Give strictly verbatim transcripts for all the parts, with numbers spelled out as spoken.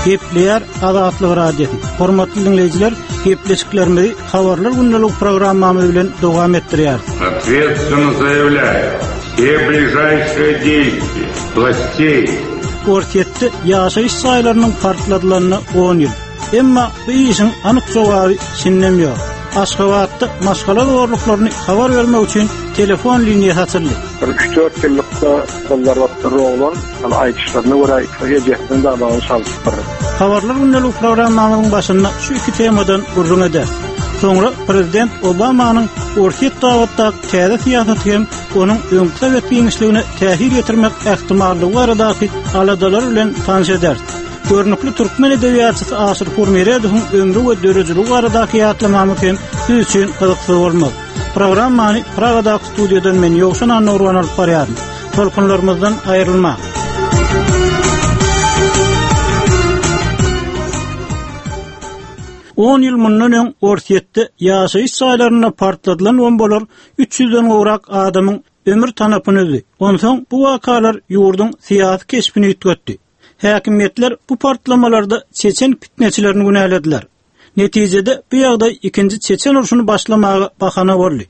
Gepleýär Azatlyk Radiosy. Hormatly diňleýjiler, gepleşiklerimizi Habarlar gündelik programmamyz bilen dowam etdirýäris. Ответственно заявляю, все ближайшие действия властей Orsýetde ýaşaýyş jaýlarynyň partladylygyna on ýyl. Emma bu işiň anyk jogaby şindem ýok. Aşgabatda maşgala zorluklaryny habar bermek üçin telefon liniýasy açyldy. Bir üç-dört ýyllykda gyzlar wagtda oglan, ýani aýdyşlaryna görä ejesiniň damagyny çalypdyr. Habarlar gündelik programmamyzyň başynda şu iki temadan gürrüň eder. Soňra Prezident Obamanyň Orsýet babatdaky täze syýasaty hem onuň öňki sowet giňişligine täsir ýetirmek ähtimallygy baradaky aladalar bilen tanyş eder. Görnükli türkmen edebiýatçysy Aşyr Hurmeredowyň ömri we döredijiligi baradaky ýatlamamyz hem siz üçin gyzykly bolmaz. Programmany Pragadaky studiýadan men Ýowşan Annurwan alyp barýaryn. Tolkunlarymyzdan aýrylma. On ýyl mundan öň Orsýetde ýaşaýyş jaýlarynda partladylan bombalar üç ýüzden gowrak adamyň ömür tanapyny üzdi. Onsoň bu wakalar ýurduň syýasy keşbini üýtgetdi. Häkimiýetler bu partlamalarda Çeçen pitneçilerini günälediler. Netijede bu ýagdaý ikinji Çeçen urşuny başlamaga bahana boldy.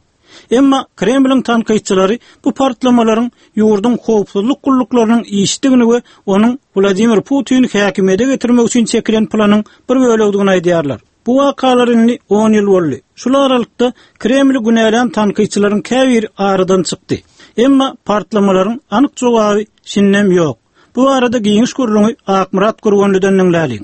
Emma Kremliň tankytçylary bu partlamalaryň ýurduň howpsuzlyk gulluklarynyň işdigini we onuň Wladimir Putini häkimiýete getirmek üçin çekilen planyň bir bölegidigini aýdýarlar. Bu wakalar indi on ýyl boldy. Şul aralykda Kremli günälän tankytçylaryň käbiri aradan çykdy. Emma partlamalaryň anyk jogaby şindem ýok. Bu arada giňiş gürrüňi Akmyrat Gurbanlydan diňläliň.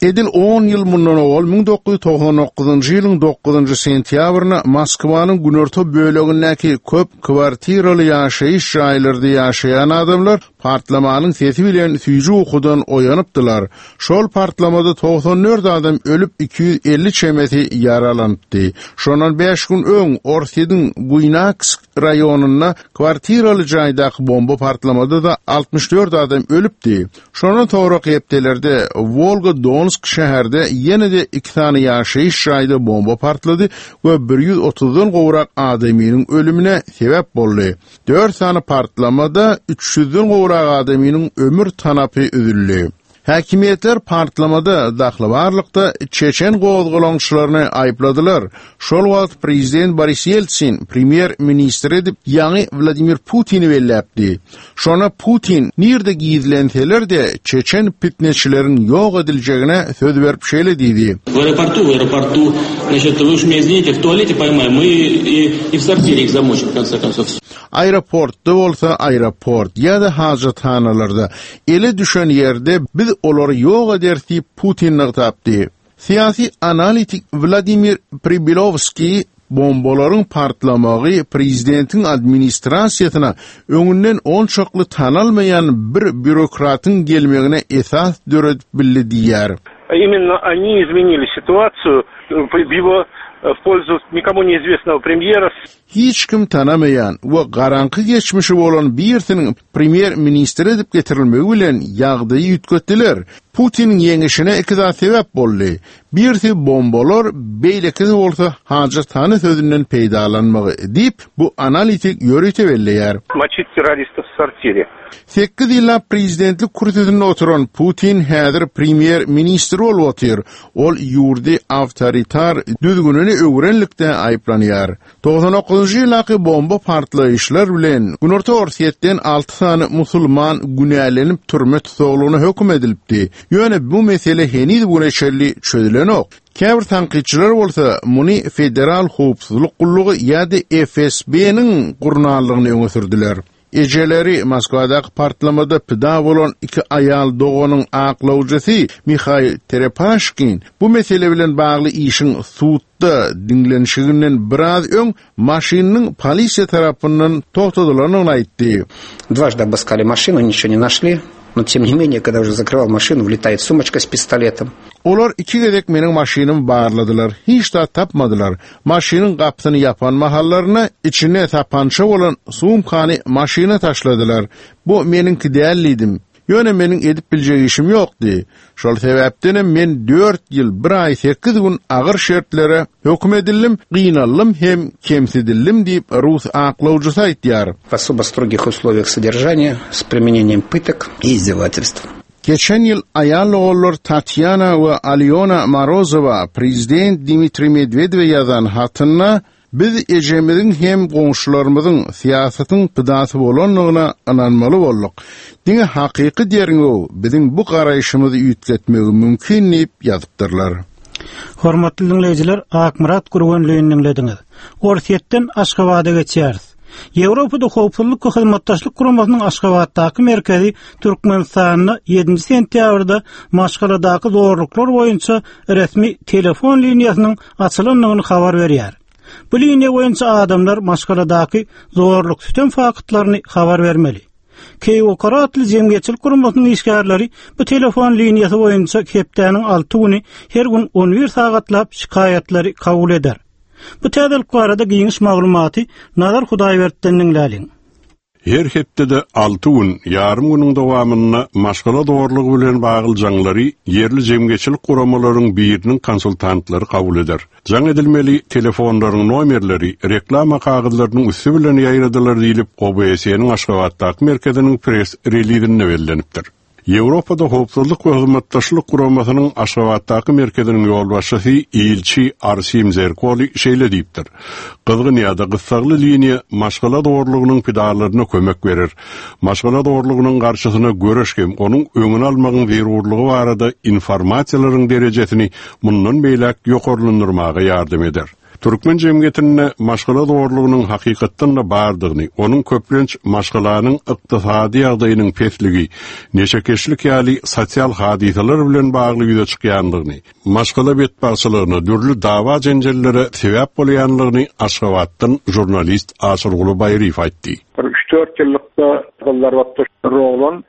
Edil on ýyl mundan owal müň dokuz ýüz togsan dokuzynjy ýylyň dokuzynjy sentýabrynda Moskwanyň günorta bölegindäki köp kwartiraly ýaşaýyş jaýlarda ýaşaýan adamlar partlamanyň sesi bilen süýji ukudan oýanypdylar. Şol partlamada togsan dört adam ölüp iki ýüz elli çemesi ýaralanypdy. Şondan bäş gün öň Orsýetiň Buýnaksk raýonynda kwartiraly jaýdaky bomba partlamada da altmyş dört adam ölüpdi. Şondan soňra hepdelerde Volga-Donsk şäherde ýene de iki sany ýaşaýyş jaýda bomba partlady we bir ýüz otuzdan gowrak adamynyň ölümine sebäp boldy. Dört sany partlamada üç ýüzden gowrak adamynyň ömür tanapy üzüldi. Häkimiýetler partlamada dahlybarlykda Çeçen gozgalaňçylaryny aýypladylar. Şol wagt prezident Boris Yeltsin premýer ministr edip ýaňy Wladimir Putini belläpdi. Şona Putin nirde gizlenseler de Çeçen pitneçileriň ýok ediljegine söz berip şeýle diýdi. В аэропорту, в аэропорту, значит, вы уж меня извините, в туалете поймаем, мы и, и в сортире их замочим, в конце концов. Aeroportda bolsa aeroport ýa-da hajathanalarda ele düşen ýerde biz olary ýok eder diýip Putin nygtapdy. Syýasy analitik Wladimir Pribilovskiý bombalaryň partlamagy prezidentiň administrasiýasyna öňünden onçakly tanalmaýan bir bürokratyň gelmegine esas döredip bildi diýär. Именно они изменили ситуацию в его в пользу никому неизвестного премьера. Hiç kim tanamaýan we garaňky geçmişi bolan birisiniň premýer ministr edip getirilmegi bilen ýagdaýy üýtgetdiler. Putiniň ýeňişine iki zat sebäp boldy. Birisi bombalar, beýlekisi bolsa hajathana sözünden peýdalanmagy diýip bu analitik ýörite belleýär. Мочить террористов в сортире. Sekiz ýyllap prezidentlik kürsüsinde oturan Putin häzir premýer ministr bolup otyr. Ol ýurdy awtoritar düzgünini öwrenlikde aýyplanýar. Togsan dokuzynjy ýyldaky bomba partlaýyşlar bilen Günorta Orsýetden alty sany musulman günälenip türme tussaglygyna höküm edilipdi. Ýöne bu mesele heniz bu çenli çözülenok. Käbir tankytçylar bolsa muny Federal Howpsuzlyk Gullugy ýa-da F S B-niň gurnallygyny öňe sürdüler. Ejeleri Moskwadaky partlamada pida bolan iki aýal doganyň aklawjysy Mihail Terepaşkin bu mesele bilen bagly işiň sudda diňlenişiginden biraz öň maşynyň polisiýa tarapyndan togtadylandygyny aýtdy. Дважды обыскали машину, ничего не нашли. Но тем не менее, когда уже закрывал машину, влетает сумочка с пистолетом. Olar iki gezek meniň maşynymy barladylar, hiç zat tapmadylar. Maşynyň gapysyny ýapan mahallaryna içine tapança bolan sumkany maşyna taşladylar. Bu meniňki däldidim. Ýöne meniň edip biljek işim ýokdy. Şol sebäpdenem men dört ýyl bir aý sekiz gün agyr şertlere höküm edildim, gynaldym hem kemsidildim diýip Rus aklawjysy aýtýar. В особо строгих условиях содержания с применением пыток и издевательств. Geçen ýyl aýal ogullar Tatýana we Alyona Morozowa prezident Dmitriý Medwedewe ýazan hatynda biz ejemiziň hem goňşularymyzyň syýasatyň pidasy bolandygyna ynanmaly bolduk. Diňe hakyky derňew biziň bu garaýşymyzy üýtgetmegi mümkin diýip ýazypdyrlar. Hormatly dinleýjiler, Akmyrat Gurbanlyny dinlediňiz. Orsýetden Aşgabada geçýäris. Ýewropada howpsuzlyk we hyzmatdaşlyk guramasynyň Aşgabatdaky merkezi Türkmenistanda ýedinji sentýabrda maşgaladaky zorluklar boýunça resmi telefon liniýasynyň açylandygyny habar berýär. Bu liniýa boýunça adamlar maşgaladaky zorluk sütem faktlaryny habar bermeli. Keýwokar atly jemgyýetçilik guramasynyň işgärleri bu telefon liniýasy boýunça hepdäniň alty güni her gün on bir sagatlap şikaýatlary kabul eder. Bu täzelik barada giňiş maglumaty Nazar Hudaýberdi'den diňläliň. Her hepdede alty gün, ýarym günüň dowamynda maşgala zorlugy bilen bagly jaňlary ýerli jemgyýetçilik guramalaryň biriniň konsultantlary kabul eder. Jaň edilmeli telefonlaryň nomerleri reklama kagyzlarynyň üsti bilen ýaýradylar diýlip O B S E-niň Aşgabatdaky merkeziniň press relizinde bellenipdir. Ýewropada howpsuzlyk we hyzmatdaşlyk guramasynyň Aşgabatdaky merkeziniň ýolbaşçysy Ilçi Arsim Zerkoli şeýle diýipdir. Gyzgyn ýa-da gyssagly liniýa maşgala zorlugynyň pidalaryna kömek berer. Maşgala zorlugynyň garşysyna göreş hem onuň öňüni almagyň zerurlygy barada informasiýalaryň derejesini mundan beýläk ýokarlandyrmaga ýardam eder. Türkmen jemgyýetinde maşgala zorlugynyň hakykatdan da bardygyny, onuň köplenç maşgalanyň ykdysady ýagdaýynyň pesligi, neşekeşlik ýaly sosial hadysalar bilen bagly ýüze çykýandygyny, maşgala betbagtçylygyna, dürli dawa jenjellere sebäp bolýandygyny Aşgabatdan jurnalist Aşyrguly Baýryýew aýtdy. Bir üç-dört ýyllykda gyzlar wagtda roglan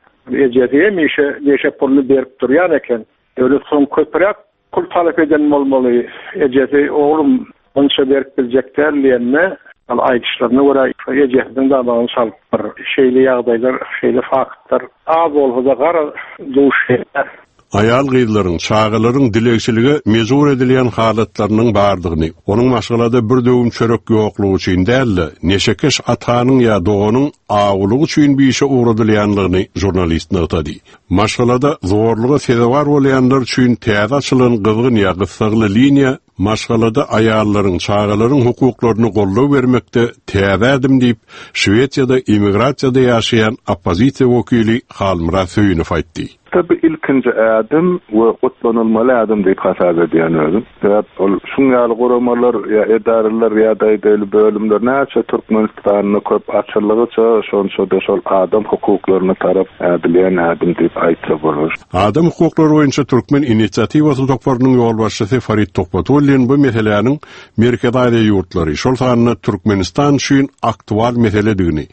ejesi hemişe neşe puluny berip durýan eken. Öyle soň köpräk pul talap eden bolmaly. Ejesi oglum bunça berip biljek däl diýende, al aýdyşlaryna görä ejesiniň damagyny çalypdyr. Şeýle ýagdaýlar, şeýle faktlar az bolsa-da gara duş gelýär. Aýal gyzlaryň, çagalaryň dilegçilige mejbur edilýän halatlarynyň bardygyny, onuň maşgalada bir döwüm çörek ýoklugy üçin däl-de, neşekeş atanyň ýa doganyň awulygy üçin bir işe ugradylýanlygyny jurnalist nygtady. Maşgalada zorluga sezewar bolýanlar üçin täze açylan gyzgyn ýa gyssagly liniýa maşgalada aýallaryň, çagalaryň hukuklaryny goldaw bermekde täze ädim diýip, Şwesiýada immigrasiýada ýaşaýan oppozisiýa wekili Halmyrat Söýünow aýtdy. Tabi ilkinji ädim we gutlanylmaly ädim diýip hasap edýän özüm. Sebäp ol şuň ýaly guramalar ýa edaralar ýa daýdaýly bölümler näçe Türkmenistanda köp açyldygyça şonça-da şol adam hukuklaryna tarap ädilýän ädim diýip aýtsa bolar. Adam hukuklary boýunça Türkmen inisiatiwasy toparynyň ýolbaşçysy Farid Tuhbatullin bu meseläniň Merkezi Aziýa ýurtlary, şol sanda Türkmenistan üçin aktual meseledigini,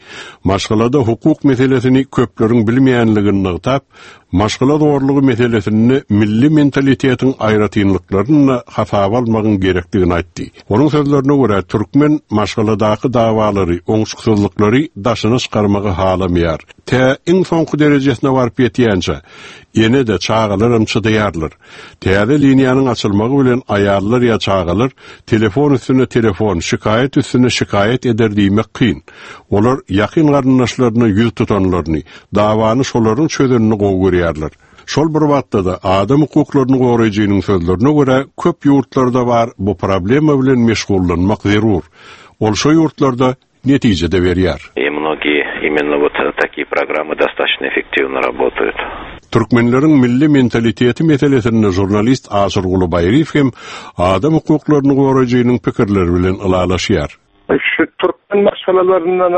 maşgalada hukuk meselesini köpleriň bilmeýänligini nygtap, maşgala zorlugy meselesinde milli mentalitetiň aýratynlyklaryny hasaba almagyň gerekdigini aýtdy. Onuň sözlerine görä türkmen maşgaladaky dawalary, oňşuksyzlyklary daşyna çykarmagy halamaýar. Tä iň soňky derejesine baryp ýetýänçe, ýene-de çagalaram çydaýarlar. Täze liniýanyň açylmagy bilen aýallar ýa çagalar telefon üstüne telefon, şikaýat üstüne şikaýat eder diýmek kyn. Olar ýakyn garyndaşlaryna ýüz tutanlaryny, dawany şolaryň çözenini gowy görýärler. Şol bir wagtda da adam hukuklaryny goraýjynyň sözlerine görä köp ýurtlarda bar bu problema bilen meşgullanmak zerur. Ol şo ýurtlarda netijede berýär. И многие именно вот такие программы достаточно эффективно работают. Türkmenleriň milli mentaliteti meselesinde jurnalist Aşyrguly Baýryýew hem adam hukuklaryny goraýjynyň pikirleri bilen ylalaşýar. Şu türkmen maşgalalaryndan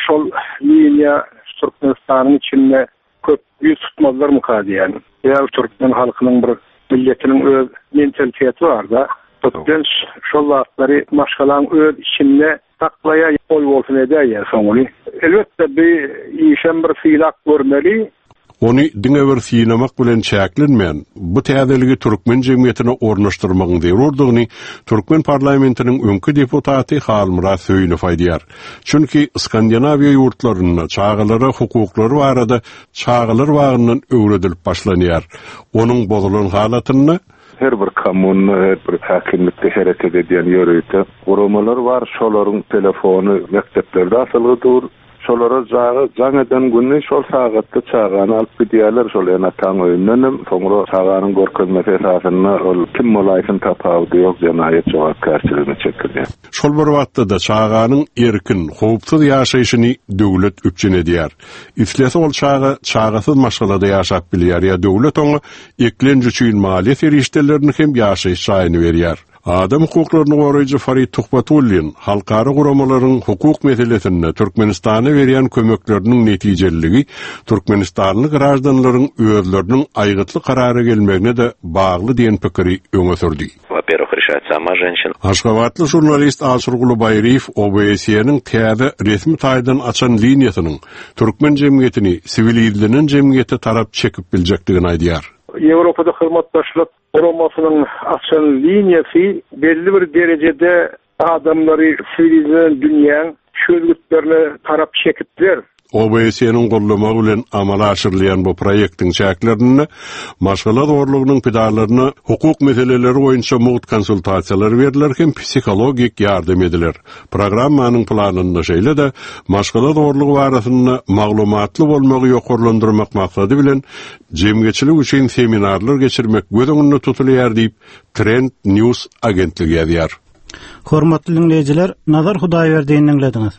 şol liniýa Türkmenistanyň içinde köp ýüz tutmazlar mı diýen. Ýa türkmen halkynyň bir milletiniň öz mentaliteti bar da. Türkmen şol wagtlary maşgalaň öz içinde saklaýa oý bolsun edýär soňuny. Elbetde bir işem bir sylak görmeli. Ony diňe bir synamak bilen çäklenmän, bu täzeligi türkmen jemgyýetine ornaşdyrmagyň zerurdygyny türkmen parlamentiniň öňki deputaty Halmyrat Söýünow aýdýar. Çünki Skandinawiýa ýurtlarynda çagalara hukuklary barada çagalar bagyndan öwredilip başlanýar. Onuň bozulan halatynda her bir kommunda, her bir häkimlikde hereket edýän ýörite guramalar bar, şolaryň telefony mekdeplerde asylgy dur. Şolara jaga jaň eden günü şol sagatda çagany alyp gidýärler şol ene-ataň öýünden hem soňra çaganyň görkezmesi esasynda ol kim bolaýsyn tapawudy ýok jenaýat jogapkärçiligine çekilýär. Şol bir wagtda-da çaganyň erkin, howpsuz ýaşaýşyny döwlet üpjün edýär. Islese ol çaga çagasyz maşgalada ýaşap bilýär ýa döwlet oňa eklenç üçin maliýe serişdelerini hem ýaşaýyş jaýyny berýär. Adam hukuklaryny goraýjy Farid Tuhbatullin halkara guramalaryň hukuk meselesinde Türkmenistana berýän kömekleriniň netijeliligi Türkmenistanly graždanlaryň özleriniň aýgytly karara gelmegine-de bagly diýen pikiri öňe sürdi. Во-первых, решает сама женщина. Aşgabatly žurnalist Aşyrguly Baýryýew O B S E-niň täze resmi taýdan açan liniýasynyň türkmen jemgyýetini siwilizlenen jemgyýete tarap çekip biljekdigini aýdýar. Ýewropada hyzmatdaşlyk guramasynyň açan liniýasy belli bir derejede adamlary siwilizlenen dünýäň çözgütlerine tarap çekipdir. O B S E-niň gollamagy bilen amala aşyrylýan bu proýektiň çäklerinde maşgala zorlugynyň pidalaryna hukuk meseleleri boýunça mugt konsultasiýalar beriler hem psihologik ýardam ediler. Programmanyň planynda şeýle-de maşgala zorlugy barasynda maglumatly bolmagy ýokarlandyrmak maksady bilen jemgyýetçilik üçin seminarlar geçirmek göz öňünde tutulýar diýip Trend News agentligi ýazýar. Hormatly dinleýjiler, Nazar Hudaýberdiýni diňlediňiz.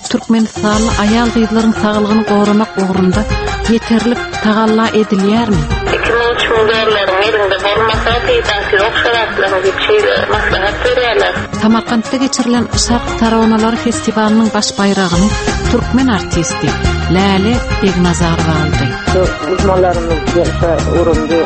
Türkmenistanly aýal gyzlaryň saglygyny goramak ugrunda ýeterlik tagalla edilýärmi? Iki müň, üç müň dollaryň elinde bolmasa, peýdasy ýok şarapların diýip şeýle maslahat berýärler. Samarkantda geçirilen Şark taronalary festiwalynyň baş baýragyny türkmen artisti Läle Begnazarowa aldy. Uzmanlarymyz gelse urundy,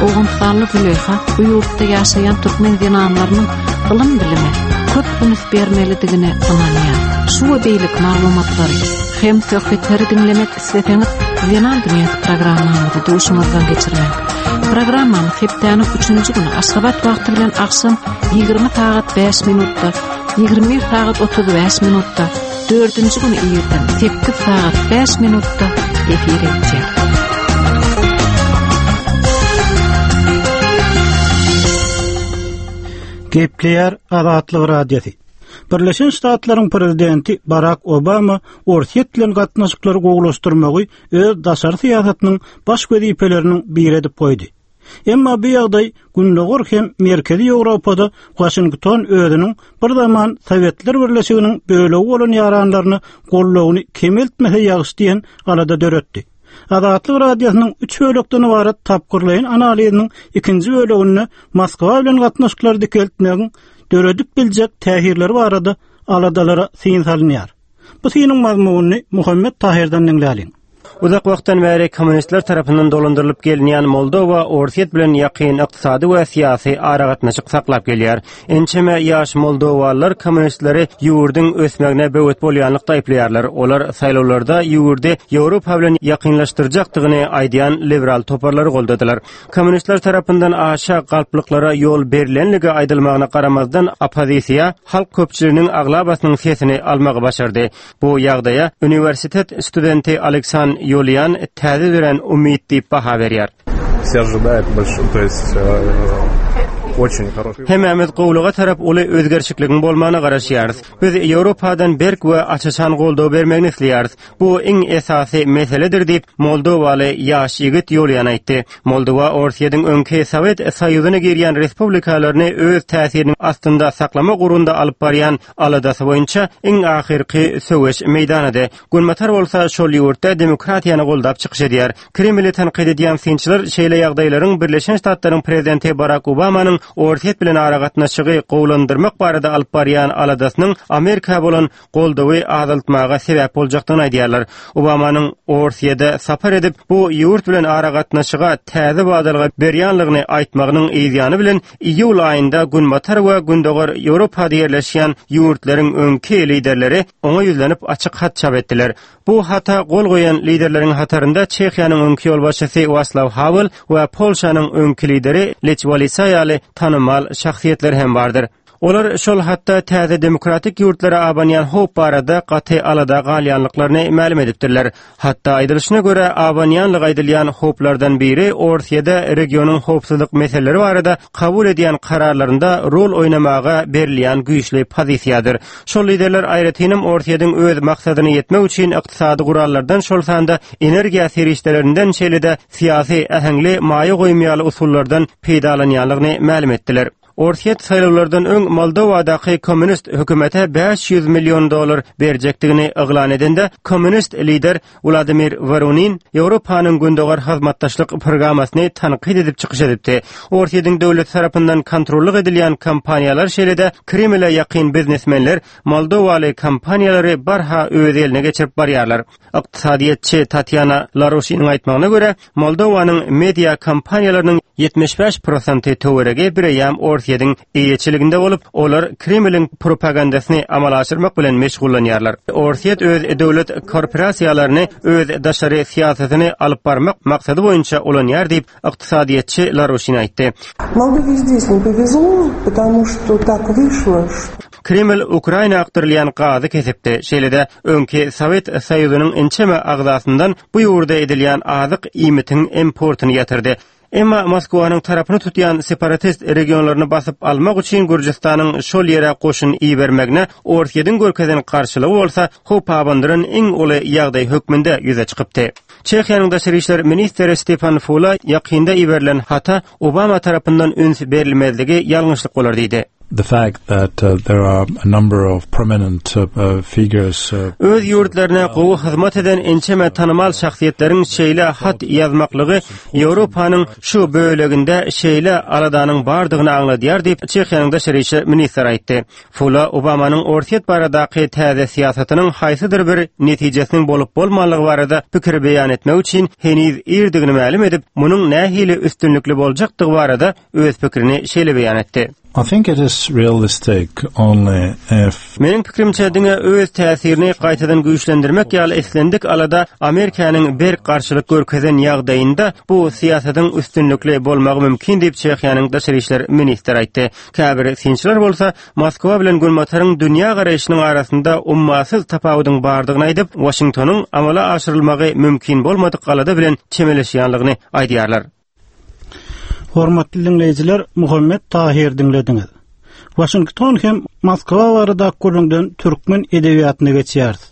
Owganystanly Züleyha bu ýurtda ýaşaýan türkmen zenanlarynyň ylym bilime köp üns bermelidigine ynanýar. Şu we beýleki maglumatlary hem söhbetleri diňlemek isleseňiz Zenan dünýäsi programmamyzy duşuňyzdan geçirmäň. Programmamyz hepdäniň üçünji güni Aşgabat wagty bilen agşam ýigrimi sagat bäş minutda, ýigrimi bir sagat otuz bäş minutda, dördünji güni irden sekiz sagat bäş minutda efir edýär. Gepleýär Azatlyk Radiosy. Birleşen Ştatlaryň prezidenti Barack Obama Orsýet bilen gatnaşyklary gowulaşdyrmagy öz daşary syýasatynyň baş wezipeleriniň biri edip goýdy. Emma bu ýagdaý Gündogar hem Merkezi Ýewropada Washington özüniň bir zaman Sowetler Birleşiginiň bölegi bolan ýaranlaryny goldawyny kemeltmese ýagşy diýen alada döretdi. Azatlyk Radiosynyň üç bölekden ybarat tapgyrlaýyn analiziniň ikinji böleginde Moskwa bilen gatnaşyklary dikeltmegiň döredip biljek täsirleri barada aladalara syn salynýar. Bu synyň mazmunyny Muhammet Tahirden diňläliň. Uzak wagtdan bäri kommunistler tarapyndan dolandyrylyp gelinýän Moldowa Orsýet bilen ýakyn ykdysady we syýasy aragatnaşyk saklap gelýär. Ençeme ýaş moldowalylar kommunistleri ýurduň ösmegine böwet bolýanlykda aýyplaýarlar. Olar saýlawlarda ýurdy Ýewropa bilen ýakynlaşdyrjakdygyny aýdýan liberal toparlary goldadylar. Kommunistler tarapyndan aşa galplyklara ýol berilenligi aýdylmagyna garamazdan oppozisiýa halk köpçüliginiň aglabasynyň sesini almagy başardy. Bu ýagdaýa uniwersitet studenti Aleksan Ýolian täze dörän umyt diýip baha berýär. Все ожидают большого, то есть, э, очень хороший. Hemmämiz gowluga tarap uly özgerişikligiň bolmagyna garaşýarys. Biz Ýewropadan berk we açaçan goldaw bermegini isleýäris. Bu iň esasy meseledir diýip Moldowaly ýaş ýigit Ýolian aýtdy. Moldowa Orsýetiň öňki Sowet Soýuzyna girýän respublikalaryny öz täsiriniň astynda saklamak ugrunda alyp barýan aladasy boýunça iň ahyrky söweş meýdanydy. Günbatar bolsa şol ýurtda demokratiýany goldap çykyş edýär. Kremli tankyt edýän synçylar şeýle ýagdaýlaryň Birleşen Ştatlaryň prezidenti Barack Obamanyň Orsýet bilen aragatnaşygy gowulandyrmak barada alyp barýan aladasynyň Amerika bolan goldawy azaltmaga sebäp boljakdygyny aýdýarlar. Obamanyň Orsýede sapar edip bu ýurt bilen aragatnaşyga täze badalga berýänligini aýtmagynyň yzýany bilen iýul aýynda Günbatar we Gündogar Ýewropada ýerleşýän ýurtlaryň öňki liderleri oňa ýüzlenip açyk hat çap etdiler. Bu hata gol goýan liderleriň hatarynda Çehiýanyň öňki ýolbaşçysy Waslaw Havel we Polşanyň öňki lideri Lech Walesa ýaly tanymal şahsyýetler hem bardyr. Olar şol hatda täze demokratik ýurtlara abanýan howp barada gaty alada galýanlyklaryny mälim edipdirler. Hatda aýdylyşyna görä abanýanlyk aýdylýan howplardan biri Orsýede regionyň howpsuzlyk meseleleri barada kabul edýän kararlarynda rol oýnamaga berilýän güýçli pozisiýadyr. Şol liderler aýratynam Orsýediň öz maksadyna ýetmek üçin ykdysady gurallardan şol sanda energiýa serişdelerinden şeýle-de syýasy äheňli maýa goýum ýaly usullardan peýdalanýanlygyny mälim etdiler. Orsýet saýlawlardan öň Moldowadaky kommunist hökümete bäş ýüz million dollar berjekdigini yglan edende, kommunist lider Wladimir Woronin Ýewropanyň Gündogar hyzmatdaşlyk programmasyny tankyt edip çykyş edipdi. Orsýetiň döwlet tarapyndan kontrollyk edilýän kompaniýalar şeýle-de Kremle ýakyn biznesmenler moldowaly kompaniýalary barha öz eline geçirip barýarlar. Ykdysadyýetçi Tatýana Laroşiniň aýtmagyna görä, Moldowanyň media kompaniýalarynyň ýetmiş bäş prosenti töweregi bireýýäm Orsýetiň eýeçiliginde bolup, olar Kremliň propagandasyny amala aşyrmak bilen meşgullanýarlar. Orsýet öz döwlet korporasiýalaryny öz daşary syýasatyny alyp barmak maksady boýunça ulanýar diýip, ykdysadyýetçi Laroşin aýtdy. Moldowie здесь не повезло, потому что так вышло, что Kreml Ukraina akdyrylýan gazy kesipdi. Şeýle-de öňki Sowet Soýuzynyň ençeme agzasyndan bu ýurda edilýän azyk iýmitiň importyny ýatyrdy. Emma Moskwanyň tarapyny tutýan separatist regionlaryny basyp almak üçin Gürjüstanyň şol ýere goşun ibermegine Orsýetiň görkezen garşylygy bolsa howp abandyran iň uly ýagdaý hökmünde ýüze çykypdy. Çehiýanyň daşary işler ministri Stefan Fula ýakynda iberilen hata Obama tarapyndan üns berilmezligi ýalňyşlyk bolar diýdi. The fact that uh, there are a number of prominent uh, uh, figures uh, Öz ýurtlaryna gowy hyzmat eden ençeme tanymal şahsyýetleriň şeýle hat ýazmaklygy Ýewropanyň şu böleginde şeýle aladanyň bardygyny aňladýar diýip Çehiýanyň daşary işler ministri aýtdy. Fula Obamanyň Orsýet baradaky täze syýasatynyň haýsydyr bir netijesiniň bolup bolmanlygy barada pikir beýan etmek üçin heniz irdigini mälim edip, munuň nähili üstünlikli boljakdygy barada öz pikirini şeýle beýan etdi. I think it is realistic only if Meniň pikirimçe diňe öz täsirini gaýtadan güýçlendirmek ýaly islendik alada Amerikanyň berk garşylyk görkezen ýagdaýynda bu syýasatyň üstünlikli bolmagy mümkin diýip Çehiýanyň daşary işler ministri aýtdy. Käbir synçylar bolsa Moskwa bilen Günbataryň dünýä garaýşynyň arasynda ummasyz tapawudyň bardygyny aýdyp, Waşingtonyň amala aşyrylmagy mümkin bolmadyk alada bilen çemeleşýänligini aýdýarlar. Hormatly dinleýjiler, Muhammet Tahir dinlediňiz. Waşington hem Moskwa barada gürrüňden türkmen edebiýatyna geçýäris.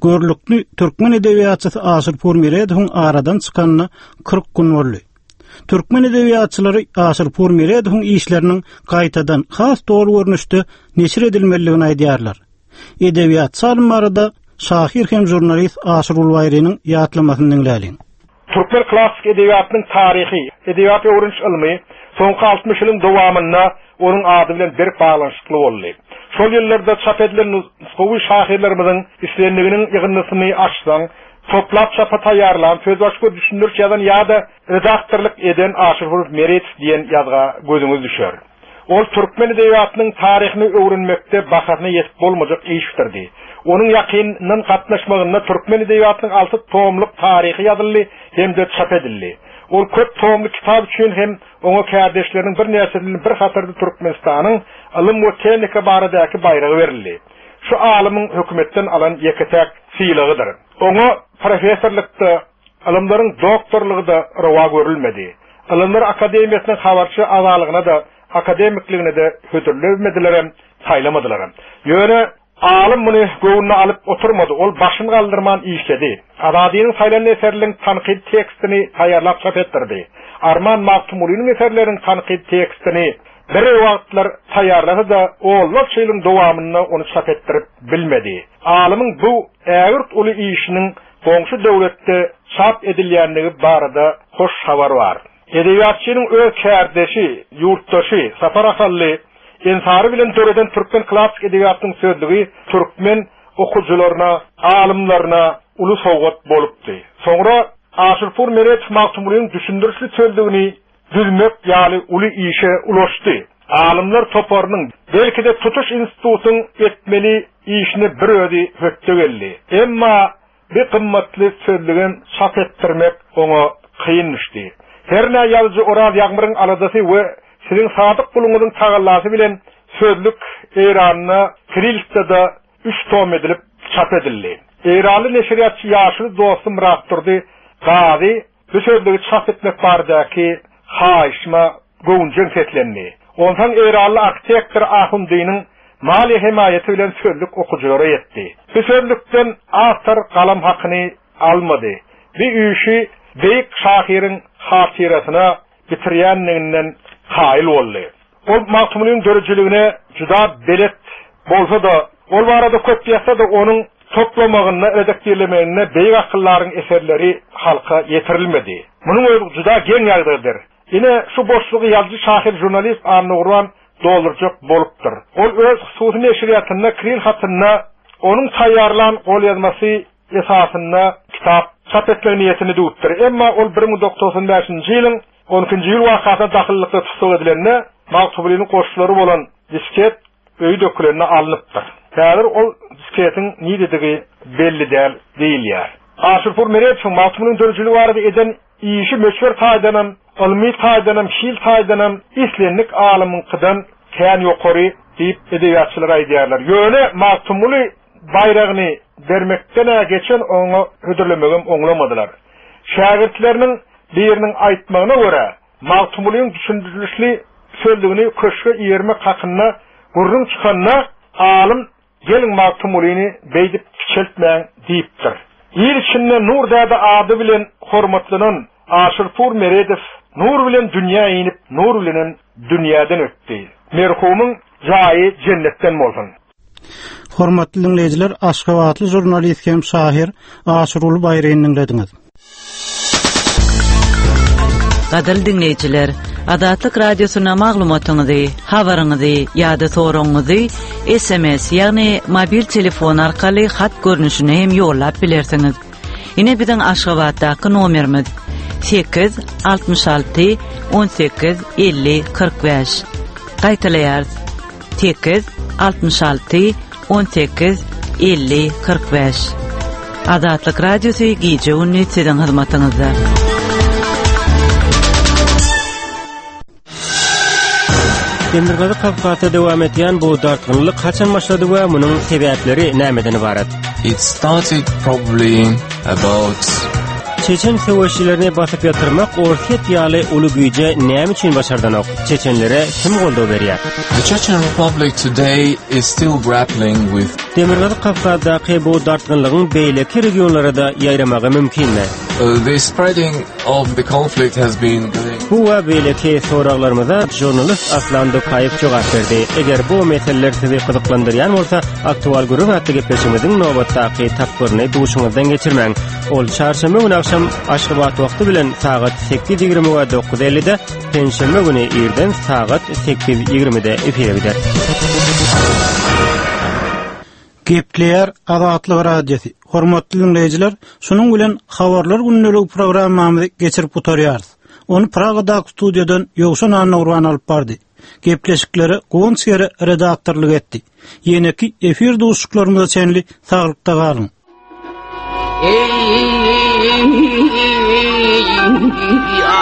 Görlükli türkmen edebiýatçysy Aşyrpur Meredowyň aradan çykanyna kyrk gün boldy. Türkmen edebiýatçylary Aşyrpur Meredowyň işleriniň gaýtadan has doly görnüşde neşir edilmelidigini aýdýarlar. Edebiýatçy alym barada şahyr hem žurnalist Aşyrgul Baýrynyň ýatlamasyny diňläliň. Türkmen klassyk edebiýatynyň taryhy, edebiýat öwreniş ylmy soňky altmyş ýylyň dowamynda onuň ady bilen berk baglanyşykly boldy. Şol ýyllarda çap edilen nusgawy şahyrlarymyzyň islendiginiň ýygyndysyny açsaň, toplap çapa taýýarlan, sözbaşy we düşündiriş ýazan ýa-da redaktorlyk eden Aşyrpur Meredow diýen ýazga gözüňiz düşer. Ol türkmen edebiýatynyň taryhyny öwrenmekde bahasyna ýetip bolmajak iş bitirdi. Onuň ýakyndan gatnaşmagynda türkmen edebiýatynyň alty tomluk taryhy ýazyldy hem-de çap edildi. Ol köp tomly kitap üçin hem oňa kärdeşleriniň birnäçesiniň bir hatarda Türkmenistanyň ylym we tehnika baradaky baýragy berildi. Şu alymyň hökümetden alan ýeke-täk sylagydyr. Oňa professorlykda, ylymlaryň doktorlygy-da rowa görülmedi. Ylymlar akademiýasynyň habarçy agzalygyna da, akademikligine de hödürlemediler, saýlamadylar. Ýöne alym muny göwnüne alyp oturmady. Ol başyny galdyrman işledi. Azadynyň saýlan eserleriniň tankyt tekstini taýýarlap çap etdirdi. Arman Magtymgulynyň eserleriniň tankyt tekstini bir wagtlar taýýarlasa da onlarça ýylyň dowamynda ony çap etdirip bilmedi. Alymyň bu ägirt uly işiniň goňşy döwletde çap edilýänligi barada hoş habar bar. Edebiýatçynyň öz kärdeşi, ýurtdaşy Sapar Ahally Ensary bilen döreden türkmen klassyk edebiýatynyň sözlügi türkmen okujylaryna, alymlaryna uly sowgat bolupdy. Soňra Aşyrpur Meredow Magtymgulynyň düşündirişli sözlügini düzmek ýaly uly işe ulaşdy. Alymlar toparynyň belki de tutuş institutyň etmeli işini bir özi hötde geldi. Emma bir gymmatly sözlügem çap etdirmek oňa kyn düşdi. Her ne ýazyjy Oraz Ýagmyryň aladasy we siziň sadyk guluňyzyň tagallasy bilen Sözlük Eýranda Kirilsde üç tom edilip çap edildi. Eýranly neşirýatçy ýaşuly dostum Myratdurdy Gazy bu sözlügi çap etmek baradaky haýyşma göwünjeň seslendi. Ondan Eýranly arhitektor Ahundynyň maliýe hemaýaty bilen sözlük okujylara ýetdi. Bu sözlükden awtor galam hakyny almady. Bir işi beýik şahyryň hatyrasyna bitirýänliginden kaýyl boldy. Ol Magtymgulynyň döredijiligine juda belet bolsa-da, ol barada köp ýazsa-da onuň toplamagynda, redaktirlemeginde beýik akyllaryň eserleri halka ýetirilmedi. Munuň özi juda geň ýagdaýdyr. Ine şu boşlugy ýazyjy şahyr jurnalist Annagurban doldurjak bolupdyr. Ol öz hususy neşirýatynda Kiril hatynda onuň taýýarlan golýazmasy esasynda kitap çap etmek niýetini düwüpdir. Emma ol bir müň dokuz ýüz togsan bäşinji ýylyň on ikinji ýyl wakasyna dahyllykda tussag edilende Magtymgulynyň goşgulary bolan disket öýi dökülende alnypdyr. Häzir ol disketiň niredigi belli däl diýilýär. Aşyrpur Meredowyň Magtymgulynyň döredijiligi barada eden işi möçber taýdanam, ylmy taýdanam, hil taýdanam islendik alymyňkydan kän ýokary diýip edebiýatçylar aýdýarlar. Ýöne Magtymguly baýragyny bermekden geçen oňa hödürlemegem oňlamadylar. Şägirtleriniň biriniň aýtmagyna görä, Magtymgulynyň düşündirilişli sözlügini köşge iýermek hakynda gürrüň çykanda alym geliň Magtymgulyny beýdip kiçeltmäň diýipdir. Il içinde Nur däde ady bilen hormatlanan Aşyrpur Meredow nur bilen dünýä inip, nur bilenem dünýäden ötdi. Merhumyň jaýy jennetden bolsun. Hormatly dinleýjiler, Aşgabatly jurnalist hem şahyr Aşyruly Baýryny dinlediňiz. Gadyrly dinleýjiler, Azatlyk Radiosyna maglumatyňyzy, habaryňyzy ýa-da soragyňyzy S M S, ýagny mobil telefon arkaly hat görnüşine hem ýollap bilersiňiz. Ine biziň Aşgabatdaky nomerimiz sekiz altmyş alty on sekiz elli kyrk bäş. Gaýtalaýarys. Sekiz altmyş alty on sekiz elli kyrk bäş. Azatlyk Radiosy gije gündüz siziň hyzmatyňyzda. Demirgazyk Kafkasda dowam etýän bu dartgynlyk haçan başlady we munuň sebäpleri nämeden ibarat? It started probably about Çeçen söweşçilerini basyp ýatyrmak Orsýet ýaly uly güýje näme üçin başardanok? Çeçenlere kim goldaw berýär? The Chechen Republic today is still grappling with Demirgazyk Kafkasdaky bu dartgynlygyň beýleki regionlara da ýaýramagy mümkinmi? Uh, the spreading of the conflict has been going. Bu we beýleki soraglarymyza jurnalist Aslan Dokaýew jogap berdi. Eger bu meseleler sizi gyzyklandyrýan bolsa, Aktual gürrüň atly gepleşigimiziň nobatdaky tapgyryny duşuňyzdan geçirmäň. Ol çarşenbe güni akşam Aşgabat wagty bilen sagat sekiz ýigrimi we dokuz ellide, penşenbe güni irden sagat sekiz ýigrimide efire gider. Gepleýär Azatlyk Radiosy. Hormatly dinleýjiler, şunuň bilen habarlar gündelik programmamyzy geçirip gutarýarys. Ony Pragadaky studiýadan Ýowşan Annagurban alyp bardy. Gepleşikleri Guwanç Gere redaktorlyk etdi. Ýeneki efir duşuşyklarymyza çenli saglykda galyň. Ey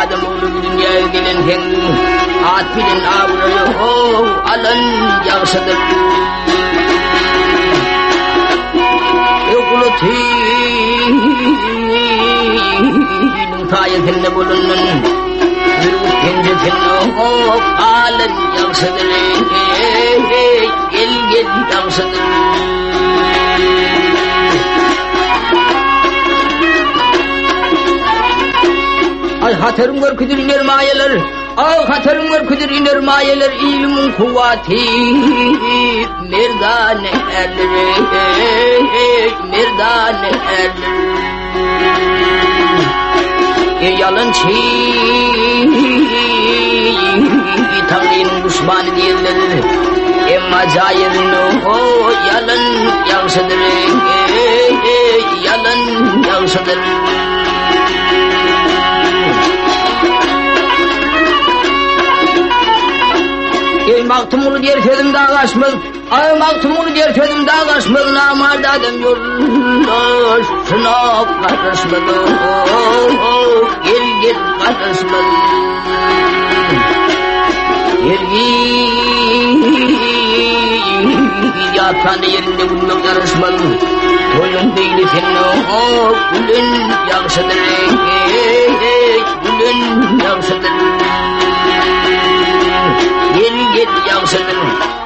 adam oğlu dünyaya gelen hen at bilen avrayo alan yaxşıdır. Egulatinin sayesinde bulunun bir pençesinde alan yaxşıdır. Gel gel yaxşıdır. Ay hatırım görküdür iner mayeler, ay hatırım görküdür iner mayeler, ilimin kuvveti merdane erler, merdane erler. E yalançı Tanrı'nın düşmanı diyorlar, emma cairin o yalan yaxşıdır, yalan yaxşıdır. Ey Magtymguly diýer sözüm dağ aşmaz, ay Magtymguly diýer sözüm dağ aşmaz, namart adam ýoldaşyna garaşmaz, gel gel garaşmaz. Gel gel Ýatanda ýerinde gülmek ýaraşmaz. Toýuň beýlesinde gülen ýagşydyr. Gülen ýagşydyr. Gel gel ýagşydyr.